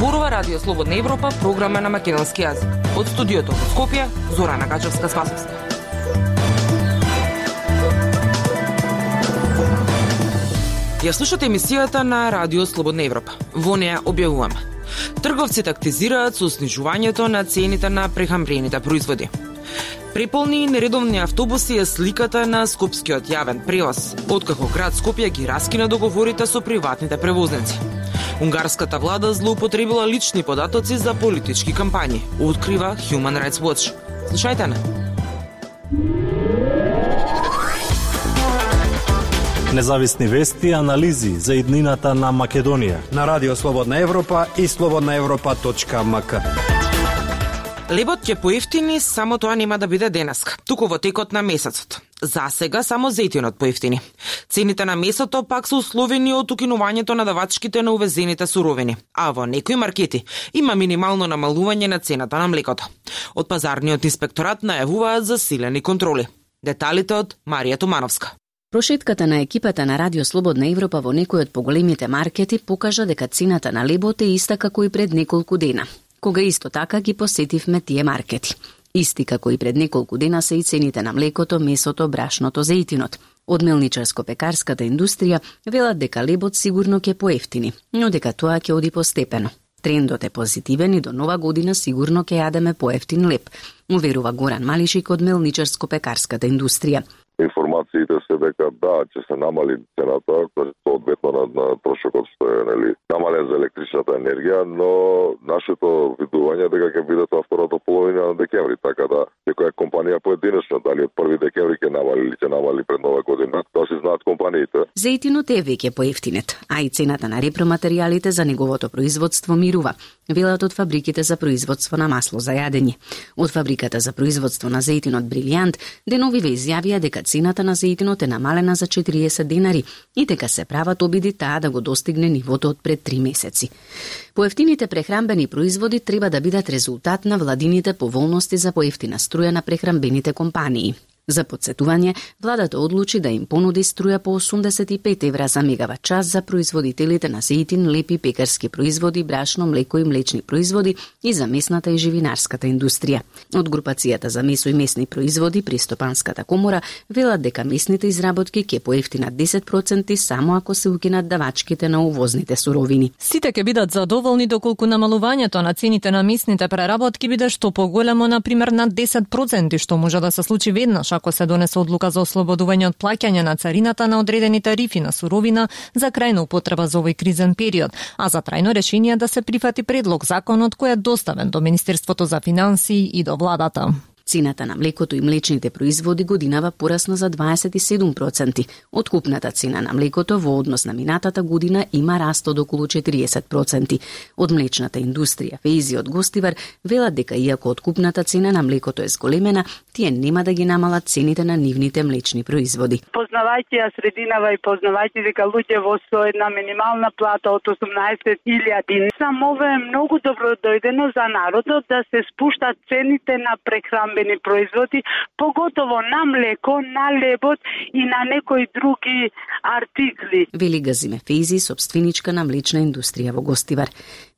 Зборува Радио Слободна Европа, програма на македонски јазик. Од студиото во Скопје, Зорана Гаџевска-Спасовска. Ја слушате емисијата на Радио Слободна Европа. Во неја објавуваме: трговците актизираат со снижувањето на цените на прехрамбените производи. Преполни и нередовни автобуси е сликата на скопскиот јавен превоз, откако град Скопје ги раскина договорите со приватните превозници. Унгарската влада злоупотребила лични податоци за политички кампањи, открива Human Rights Watch. Слушајте на. Независни вести и анализи за иднината на Македонија на Радио Слободна Европа и slobodnaevropa.mk. Лебот ќе поевтини, само тоа нема да биде денеска, туку во текот на месецот. За сега само зејтинот поевтини. Цените на месото пак се условени од укинувањето на давачките на увезените суровини, а во некои маркети има минимално намалување на цената на млекото. Од пазарниот инспекторат најавуваат засилени контроли. Деталите од Марија Тумановска. Прошетката на екипата на Радио Слободна Европа во некои од поголемите маркети покажа дека цената на лебот е иста како и пред неколку дена, кога исто така ги посетивме тие маркети. Исти како и пред неколку дена се и цените на млекото, месото, брашното, зејтинот. Од мелничарско-пекарската индустрија велат дека лебот сигурно ќе поевтини, но дека тоа ќе оди постепено. Трендот е позитивен и до нова година сигурно ќе јадеме поевтин леб, уверува Горан Малишик од мелничарско-пекарската индустрија. Информациите се дека да, ќе се намали цената, одветно на трошокот што е намален за електричната енергија, но нашето видување дека ќе биде тоа втората половина на декември, така да секоја компанија поединечно, дали од 1 декември ќе намали или ќе намали пред нова година, тоа се знаат компаниите. Зејтинот е веќе поевтинет, а и цената на репроматеријалите за неговото производство мирува, велат од фабриките за производство на масло за јадење. Од фабриката за производство на зејтинот Брилијант деновиве изјавија дека цената на зејтинот е намалена за 40 денари и дека се прават обиди таа да го достигне нивото од пред 3 месеци. Поевтините прехрамбени производи треба да бидат резултат на владините поволности за поевтина струја на прехрамбените компании. За подсетување, владата одлучи да им понуди струја по 85 евра за мегават час за производителите на зејтин, леп и пекарски производи, брашно, млеко и млечни производи и за месната и живинарската индустрија. Од групацијата за месо и месни производи при Стопанската комора велат дека месните изработки ќе поевтинат 10% само ако се укинат давачките на увозните суровини. Сите ќе бидат задоволни доколку намалувањето на цените на месните преработки биде што поголемо, например над 10%, што може да се случи веднаш ако се донесе одлука за ослободување од плаќање на царината на одредени тарифи на суровина за крајна употреба за овој кризен период, а за трајно решение да се прифати предлог законот кој е доставен до Министерството за финансии и до владата. Цената на млекото и млечните производи годинава порасна за 27%. Откупната цена на млекото во однос на минатата година има раст од околу 40%. Од млечната индустрија Фейзи од Гостивар велат дека иако откупната цена на млекото е зголемена, тие нема да ги намалат цените на нивните млечни производи. Познавајќи ја срединава и познавајќи дека луѓе во со една минимална плата од 18.000, само ова е многу добро дојдено за народот да се спуштат цените на прехрамбени производи, поготово на млеко, на лебот и на некои други артикли. Вели Газиме Фейзи, собственичка на млечна индустрија во Гостивар.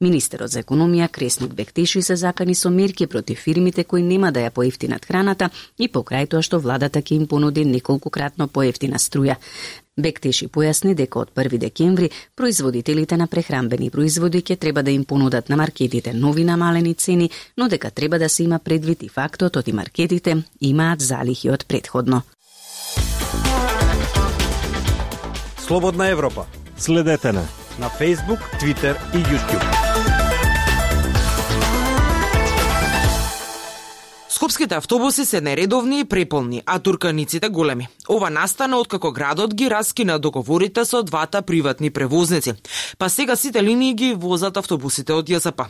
Министерот за економија Кресник Бектеши се закани со мерки против фирмите кои нема да ја поевтинат храната и покрај тоа што владата ќе им понуди неколкократно поевтина струја. Бектеши појасни дека од 1 декември производителите на прехрамбени производи ќе треба да им понудат на маркетите нови намалени цени, но дека треба да се има предвид и фактот од и маркетите имаат залихи од претходно. Слободна Европа. Следете на Facebook, Twitter и YouTube. Скопските автобуси се нередовни и преполни, а турканиците големи. Ова настана откако градот ги раскина договорите со двата приватни превозници. Па сега сите линии ги возат автобусите од ЈСП.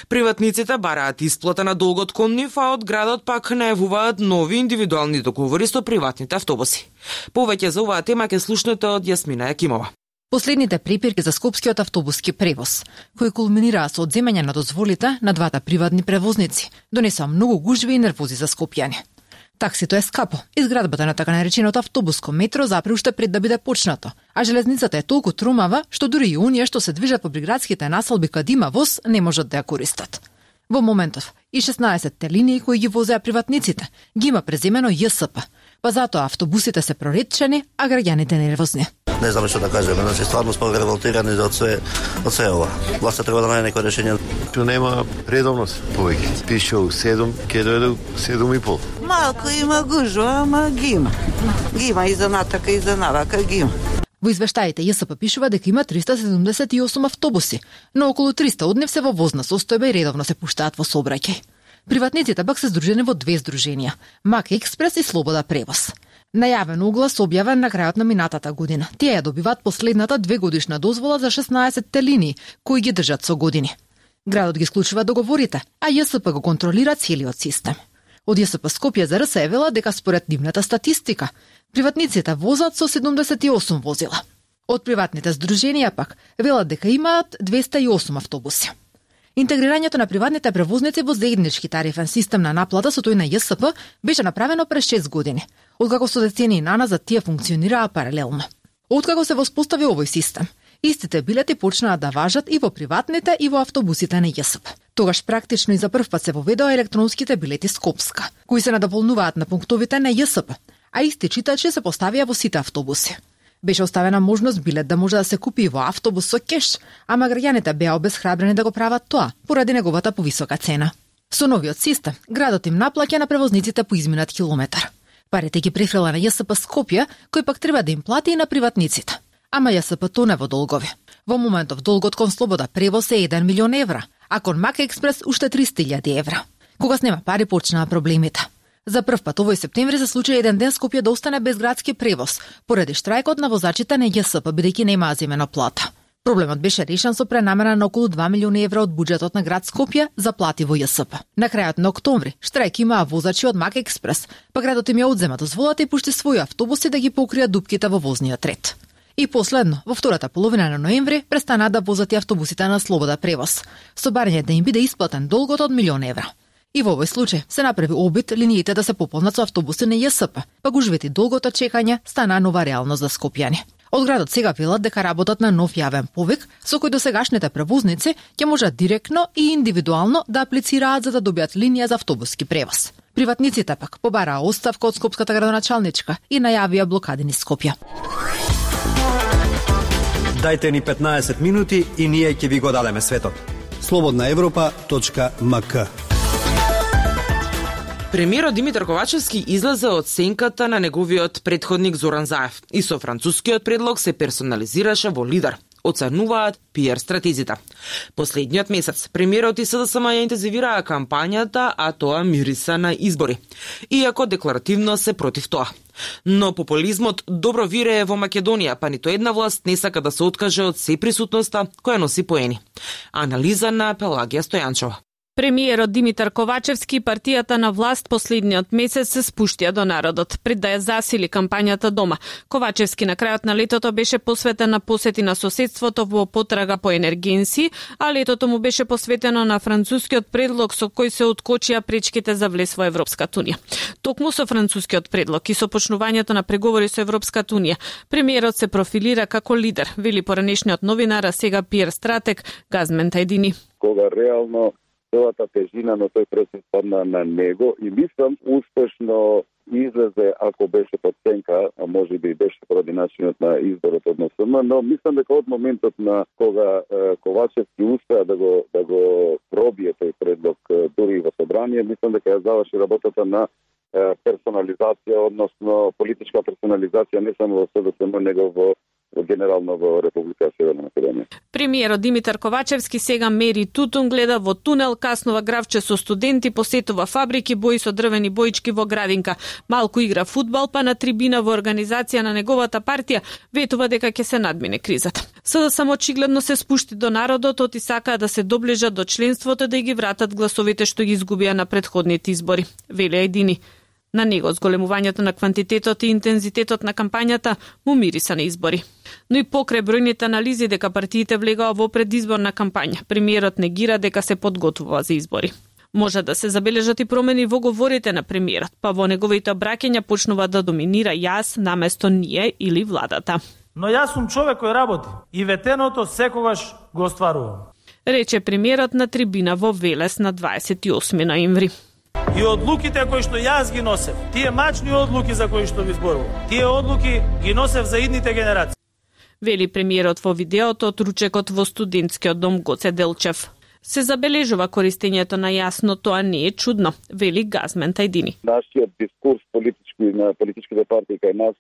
Приватниците бараат исплата на долгот кон нив, а од градот пак најавуваат нови индивидуални договори со приватните автобуси. Повеќе за оваа тема ќе слушнете од Јасмина Јакимова. Последните препирки за скопскиот автобуски превоз, кои кулминираа со одземање на дозволите на двата приватни превозници, донесоа многу гужви и нервози за скопјани. Таксито е скапо. Изградбата на така нареченото автобуско метро запре уште пред да биде почнато, а железницата е толку трумава што дури и оние што се движат по приградските населби каде има воз не можат да ја користат. Во моментов и 16 линии кои ги возеа приватниците ги има преземено ЈСП, па затоа автобусите се проретчени, а граѓаните нервозни. Не знам што да кажеме, значи стварно сме револтирани од све ова. Власта треба да најде некој решение. Што нема редовност повеќе. Пише 7, ќе дојде 7,5. Малку има гужва, ама ги има. Ги има и за натака и за навака ги има. Во извештаите ЈСП пишува дека има 378 автобуси, но околу 300 од нив се во возна состојба и редовно се пуштаат во сообраќај. Приватниците пак се здружени во две здруженија – Мак Експрес и Слобода Превоз. Најавен оглас објавен на крајот на минатата година. Тие ја добиваат последната 2-годишна дозвола за 16 линии, кои ги држат со години. Градот ги склучува договорите, а ЈСП го контролира целиот систем. Од ЈСП Скопје за РС вела дека според нивната статистика, приватниците возат со 78 возила. Од приватните здруженија пак велат дека имаат 208 автобуси. Интегрирањето на приватните превозници во заеднички тарифен систем на наплата со тој на ЈСП беше направено през 6 години, откако со децении наназад тие функционираа паралелно. Откако се воспостави овој систем, истите билети почнаа да важат и во приватните и во автобусите на ЈСП. Тогаш практично и за прв пат се воведоа електронските билети Скопска, кои се надополнуваат на пунктовите на ЈСП, а исти читачи се поставија во сите автобуси. Беше оставена можност билет да може да се купи во автобус со кеш, ама граѓаните беа обесхрабрени да го прават тоа, поради неговата повисока цена. Со новиот систем, градот им наплаќа на превозниците по изминат километар. Парите ги префрела на ЈСП Скопје, кој пак треба да им плати и на приватниците. Ама ЈСП тоне во долгови. Во моментов долгот кон Слобода Превоз е 1 милион евра, а кон Мак Експрес уште 300.000 евра. Кога снема пари почнаа проблемите. За прв пат овој септември се случи еден ден Скопје да остане без градски превоз, поради штрајкот на возачите на ЈСП, бидејќи немаа земена плата. Проблемот беше решен со пренамена на околу 2 милиони евра од буџетот на град Скопје за плати во ЈСП. На крајот на октомври штрајк имаа возачи од Мак Експрес, па градот им ја одзема дозволата и пушти своји автобуси да ги покријат дупките во возниот ред. И последно, во втората половина на ноември престанаа да возат и автобусите на Слобода Превоз, со барање да им биде исплатен долгот од 1 милион евра. И во овој случај се направи обид линиите да се пополнат со автобуси на ЈСП, па гужвите долгот од чекање стана нова реалност за скопјани. Од градот сега велат дека работат на нов јавен повик, со кој досегашните превозници ќе можат директно и индивидуално да аплицираат за да добијат линија за автобуски превоз. Приватниците пак побараа оставка од скопската градоначалничка и најавија блокади низ Скопје. Дајте ни 15 минути и ние ќе ви го дадеме светот. slobodnaevropa.mk. Премиерот Димитар Ковачевски излезе од сенката на неговиот претходник Зоран Заев и со францускиот предлог се персонализираше во лидер. Оценуваат PR стратезите. Последниот месец премиерот и СДСМ ја интензивираа кампањата, а тоа мириса на избори. Иако декларативно се против тоа. Но популизмот добро вирее во Македонија, па нито една власт не сака да се откаже од сеприсутноста која носи поени. Анализа на Пелагија Стојанчова. Премиерот Димитар Ковачевски и партијата на власт последниот месец се спуштија до народот, пред да ја засили кампањата дома. Ковачевски на крајот на летото беше посветен на посети на соседството во потрага по енергенси, а летото му беше посветено на францускиот предлог со кој се откочија пречките за влез во Европската унија. Токму со францускиот предлог и со почнувањето на преговори со Европската унија, премиерот се профилира како лидер, вели поранешниот новинар, а сега PR стратег Газмен Тајдини. Кога реално целата тежина на тој процес падна на него и мислам успешно излезе, ако беше под сенка, а може би беше поради начинот на изборот од НСМ, но мислам дека од моментот на кога Ковачевски успеа да го пробие тој предлог дури во собрание, мислам дека ја заврши работата на персонализација, односно политичка персонализација не само во СДСМ, него во генерално во Република Северна Македонија. Премиерот Димитар Ковачевски сега мери тутун, гледа во тунел, каснува гравче со студенти, посетува фабрики, бои со дрвени боички во градинка. Малку игра фудбал, па на трибина во организација на неговата партија ветува дека ќе се надмине кризата. СДСМ очигледно се спушти до народот, оти сакаа да се доближат до членството, да ги вратат гласовите што ги изгубија на претходните избори. Вели Ајдини. На него зголемувањето на квантитетот и интензитетот на кампањата му мириса на избори. Но и покрај бројните анализи дека партиите влегаа во предизборна кампања, премиерот негира дека се подготвува за избори. Може да се забележат и промени во говорите на премиерот, па во неговите обраќања почнува да доминира јас наместо ние или владата. Но јас сум човек кој работи и ветеното секогаш го остварувам. Рече премиерот на трибина во Велес на 28 ноември. И одлуките кои што јас ги носев, тие мачни одлуки за кои што ви зборувам, тие одлуки ги носев за идните генерации. Вели премиерот во видеото од ручекот во студентскиот дом Гоце Делчев. Се забележува користењето на јас, но тоа не е чудно, вели Газмен Тајдини. Нашиот дискурс политички на политичките партии кај нас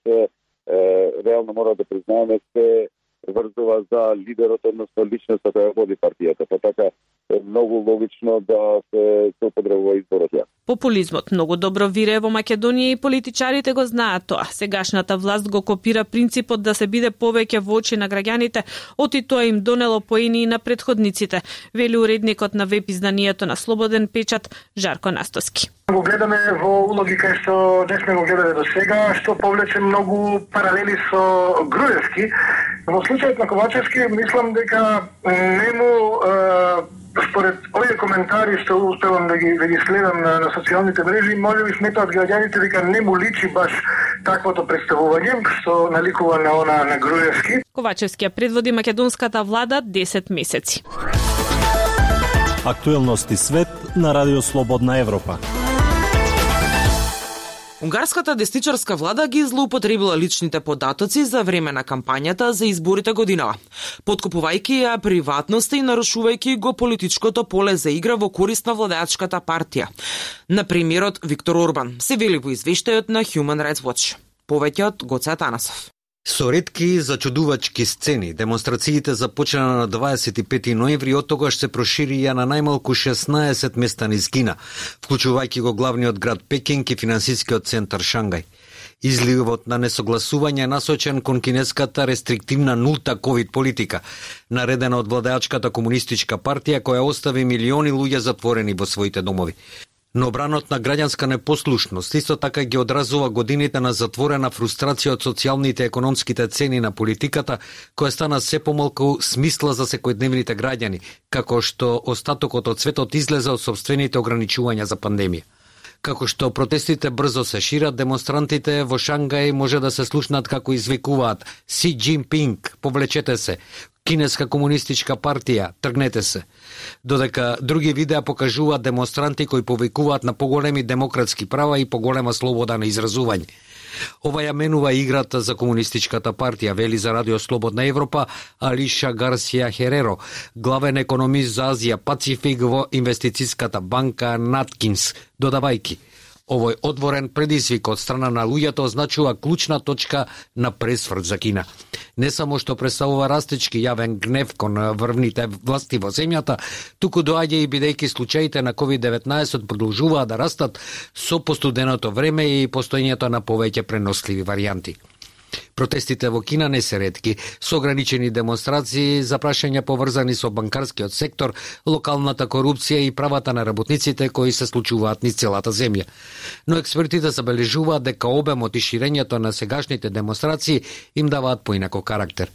реално мора да признаеме се врзува за лидерот, односно личноста која води партијата. Па така е многу логично да се употребува изборот ја. Популизмот многу добро вирее во Македонија и политичарите го знаат тоа. Сегашната власт го копира принципот да се биде повеќе во очи на граѓаните, оти тоа им донело поени на предходниците, вели уредникот на веб изданието на Слободен печат Жарко Настоски. Го гледаме во улоги кај што не сме го гледале до сега, што повлече многу паралели со Груевски. Во случајот на Ковачевски, мислам дека нему според овие коментари што успевам да ги следам на социјалните мрежи, може би сметаат граѓаните дека не му личи баш таквото представување што наликува на она на Груевски. Ковачевски предводи македонската влада 10 месеци. Актуелности свет на Радио Слободна Европа. Унгарската десничарска влада ги злоупотребила личните податоци за време на кампањата за изборите годинава, подкупувајќи ја приватноста и нарушувајќи го политичкото поле за игра во корист на владеачката партија. На премиерот Виктор Орбан, се вели во извештајот на Human Rights Watch. Повеќе од Гоце Атанасов. Со ретки зачудувачки сцени, демонстрациите започна на 25 ноември, од тогаш се проширија на најмалку 16 места низ Кина, вклучувајќи го главниот град Пекинг и финансискиот центар Шангај. Изливот на несогласување е насочен кон кинеската рестриктивна нулта ковид политика, наредена од владеачката комунистичка партија која остави милиони луѓе затворени во своите домови. Но бранот на граѓанска непослушност исто така ги одразува годините на затворена фрустрација од социјалните и економските цени на политиката, која стана се помалку смисла за секојдневните граѓани, како што остатокот од светот излезе од собствените ограничувања за пандемија. Како што протестите брзо се шират, демонстрантите во Шангај може да се слушнат како извикуваат Си Џинпинг, повлечете се, Кинеска комунистичка партија, тргнете се. Додека други видеа покажуваат демонстранти кои повикуваат на поголеми демократски права и поголема слобода на изразување. Ова ја менува играта за комунистичката партија, вели за Радио Слободна Европа Алиша Гарсија Хереро, главен економист за Азија Пацифик во инвестицијската банка Наткинс, додавајќи: овој отворен предизвик од страна на луѓето означува клучна точка на пресврт за Кина. Не само што представува растечки јавен гнев кон врвните власти во земјата, туку доаѓа и бидејќи случаите на COVID-19 продолжуваат да растат со постуденото време и постоењето на повеќе преносливи варијанти. Протестите во Кина не се ретки, со ограничени демонстрации за прашања поврзани со банкарскиот сектор, локалната корупција и правата на работниците кои се случуваат низ целата земја. Но експертите забележуваат дека обемот и ширењето на сегашните демонстрации им даваат поинако карактер.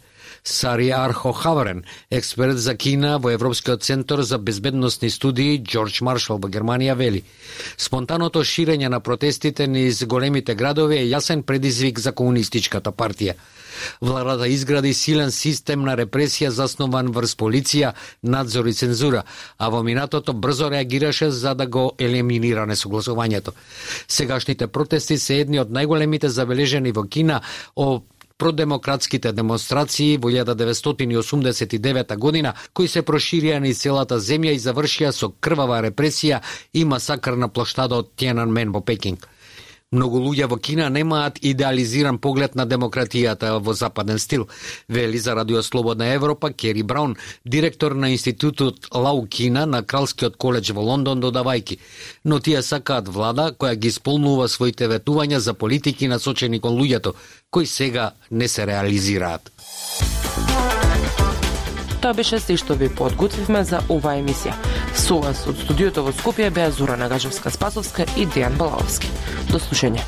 Сари Архо Хаварен, експерт за Кина во Европскиот центар за безбедносни студии Џорџ Маршал во Германија, вели: спонтаното ширење на протестите низ големите градови е јасен предизвик за комунистичката партија. Владата изгради силен систем на репресија заснован врз полиција, надзор и цензура, а во минатото брзо реагираше за да го елиминира несогласувањето. Сегашните протести се едни од најголемите забележени во Кина продемократските демонстрации во 1989 година, кои се проширија низ целата земја и завршија со крвава репресија и масакр на плоштадот Тиананмен во Пекинг. Многу луѓе во Кина немаат идеализиран поглед на демократијата во западен стил, вели за Радио Слободна Европа Кери Браун, директор на институтот Лау Кина на Кралскиот коледж во Лондон, додавајќи: но тие сакаат влада која ги исполнува своите ветувања за политики насочени кон луѓето, кои сега не се реализираат. Тоа беше се што ви подготвивме за оваа емисија. Со вас од студиото во Скопје беа Зора Нагажевска-Спасовска и Дејан Балаовски. До слушање.